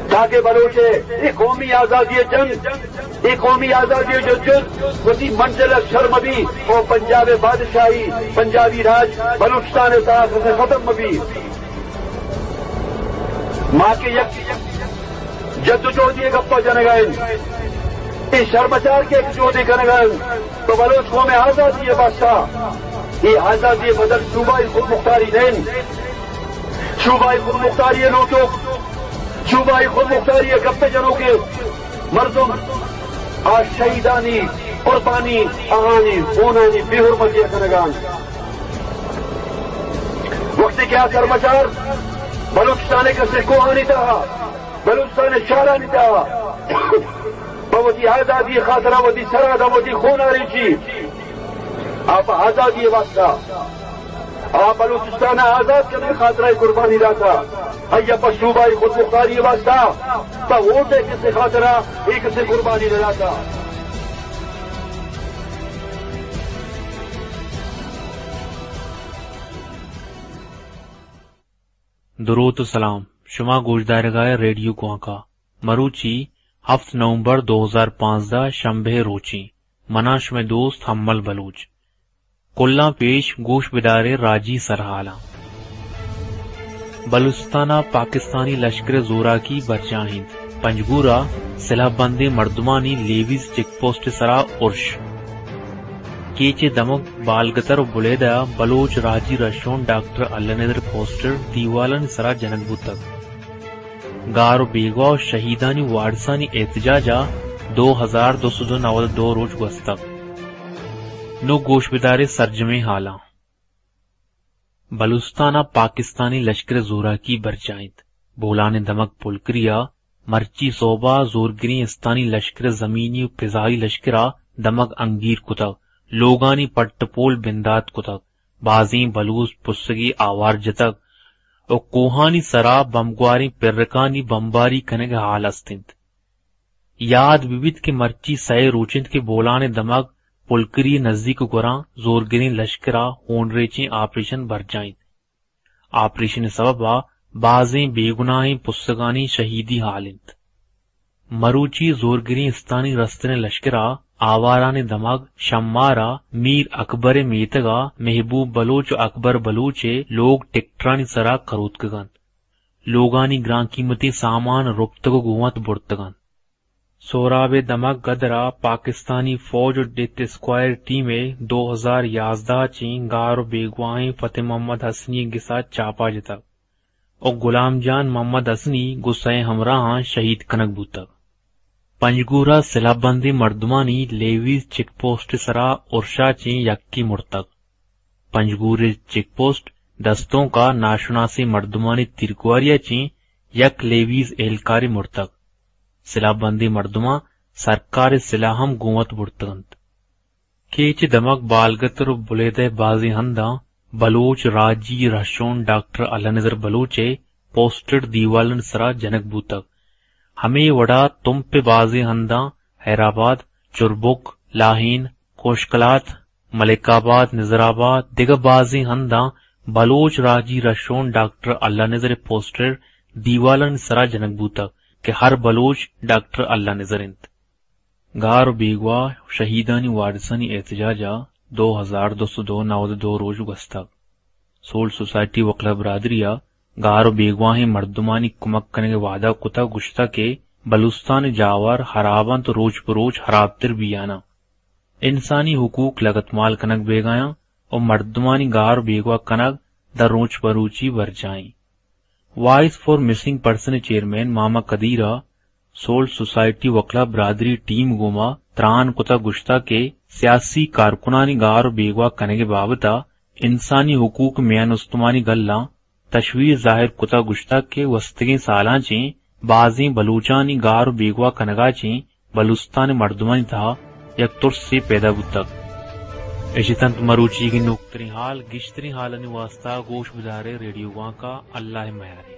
تاکہ بلوچ ءِ اے قومی آزادی ءِ جنگ، اے قومی آزادی ءِ جدوجہد وتی منزل ءَ سر مہ بی اور پنجاب ءِ بادشاہی، پنجابی راج بلوچستان ءِ تہا ختم مہ بی۔ ما کہ یک جدوجہدی ءِ گپ ءَ جنگ ءَ ایں، اے شرمچار کہ یک جہدے کنگ ءَ ایں، تو بلوچ قوم ءِ آزادی ءِ واسطہ، اے آزادی ءِ بدل صوبائی خودمختاری نہ اِنت۔ صوبائی خودمختاری ءِ لوٹوک، صوبائی خودمختاری ءِ گپ ءَ جنوک ءِ مردم آ شہیدانی قربانی، آہانی خونانی بے حرمتی ءَ کنگ ءَ اَنت۔ وقتی کہ آ سرمچار بلوچستان ءِ کسے کوہانی تہا، بلوچستان ءِ شہرانی تہا پہ وتی آزادی ءِ خاطرا وتی سرا داں، وتی خون ءَ ریچی، آ پہ آزادی ءِ واسطہ، آ بلوچستان ءَ آزاد کنگ ءِ خاطرا قربانی داتا۔ آئی ءَ پہ صوبائی خودمختاری ءِ واسطہ، پہ ووٹ ءِ کسے خاطرا اے کسے قربانی نہ داتا۔ دروت و سلام۔ شما گوشدارگا ریڈیو گوانکا۔ مروچی ہفت نومبر دو ہزار پانزدہ، شنبے روچی۔ منا شمے دوست حمل بلوچ۔ کلاں پیش گوش بدارے راجی سرحالاں۔ بلوچستان ءَ پاکستانی لشکر ءِ زوراکی برجاہ اِنت۔ پنجگور ءَ سلاہ بندیں مردمانی لیویز چیک پوسٹ ءِ سرا ارش۔ کیچ ءِ دمگ بالگتر و بلیدہ ءَ بلوچ راجی رھشون ڈاکٹر اللہ ندر پوسٹر دیوالانی سرا جنگ بوتگ۔ گار و بیگواہ و شہیدانی وارثانی احتجاج ءَ دو ہزار دو سد و نود و دو روچ گوستگ۔ نوں گوش بدارے سرجمیں حالاں۔ بلوچستان ءَ پاکستانی لشکر ءِ زوراکی برجاہ اِنت۔ بولان ءِ دمگ پلکری ءَ مرچی سہب ءَ زورگریں استانی لشکر ءِ زمینی و پزائی لشکر ءَ دمگ انگیر کتگ، لوگانی پٹ ءُ پول بندات کتگ، بازیں بلوچ پسگی آوار جتگ ءُ کوہانی سرا بمبگواریں پرکانی بمباری کنگ ءِ ہال است اِنت۔ یاد بہ بیت کہ مرچی سئے روچ اِنت کہ بولان ءِ دمگ پلکری ءِ نزیک ءُ گوراں زورگریں لشکر ءَ ہونریچیں آپریشن برجاہ اِنت۔ آپریشن ءِ سبب ءَ بازیں بے گناہیں پسگانی شہیدی ہال اِنت۔ مروچی زورگریں استانی رستریں لشکر ءَ آوارانی دمگ شمار ءَ میر اکبر ءِ میتگ ءَ محبوب بلوچ ءُ اکبر بلوچ ءِ لوگ ٹیکٹرانی سرا کروتکگ اَنت۔ لوگانی گران قیمتیں سامان رپتگ ءُ گوں وت برتگ اَنت۔ سہراب ءِ دمگ گدر ءَ پاکستانی فوج ءُ ڈیتھ اسکوائر ٹیم ءِ دو ہزار یازدہ ءَ چیں گار ءُ بیگواہیں فتح محمد حسنی ءِ گس ءَ چاپا جتگ ءُ غلام جان محمد حسنی گوں سئے ہمراہاں شہید کنگ بوتگ۔ پنجگور ءَ سلاہ بندیں مردمانی لیویز چیک پوسٹ ءِ سرا ارش ءَ چیں یکے مرتگ۔ پنجگور ءِ چیک پوسٹ دستونک ءَ ناشناسیں مردمانی تیرگواری ءَ چیں یک لیویز اہلکارے مرتگ۔ سلاہ بندیں مردماں سرکار ءِ سلاہ ہم گوں وت برتگ اَنت۔ کیچ ءِ دمگ بالگتر ءُ بلیدہ ءِ بازیں ہنداں بلوچ راجی رہشون ڈاکٹر اللہ نذر بلوچ ءِ پوسٹر دیوالانی سرا جنگ بوتگ۔ ہمے وڑا تمپ ءِ بازیں ہنداں حیرآباد، چربک، لاہین، کوشکلات، ملک آباد، نظر آباد، دگہ بازیں ہنداں بلوچ راجی رہشون ڈاکٹر اللہ نذر ءِ پوسٹر دیوالانی سرا جنگ بوتگ کہ ہر بلوچ ڈاکٹر اللہ نذر اِنت۔ گار ءُ بیگواہ شہیدانی وارثانی احتجاج ءَ دو ہزار دو سد ءُ نود ءُ دو روچ گوستگ۔ سول سوسائٹی وکلا برادری ءَ گار ءُ بیگواہیں مردمانی کمک کنگ ءِ وعدہ کتگ، گوشتگ کہ بلوچستان ءِ جاور ہراب اَنت، روچ پہ روچ ہرابتر بیان اَنت۔ انسانی حقوق لگتمال کنگ بیگایاں ءُ مردمانی گار ءُ بیگواہ کنگ در روچ پہ روچی برجاہیں۔ وائس فار مسنگ پرسن ءِ چیئرمین ماما قدیر ءَ سول سوسائٹی وکلا برادری ٹیم گوما تران کتگ، گوشتگ کہ سیاسی کارکنانی گار ءُ بیگواہ کنگ ءِ بابت ءَ انسانی حقوق میان استمانی گلاں تشویش ظاہر کتگ، گوشتگ کہ گوستگیں سالاں چیں بازیں بلوچانی گار ءُ بیگواہ کنگ ءَ چیں بلوچستان ءِ مردمانی تہا یک ترسے پیدا بوتگ۔ اش اتنت مروچیگیں نوکتریں حال، گیشتریں حالانی واستا گوش بدارے ریڈیو گوانکا۔ اللہ ءِ میارے۔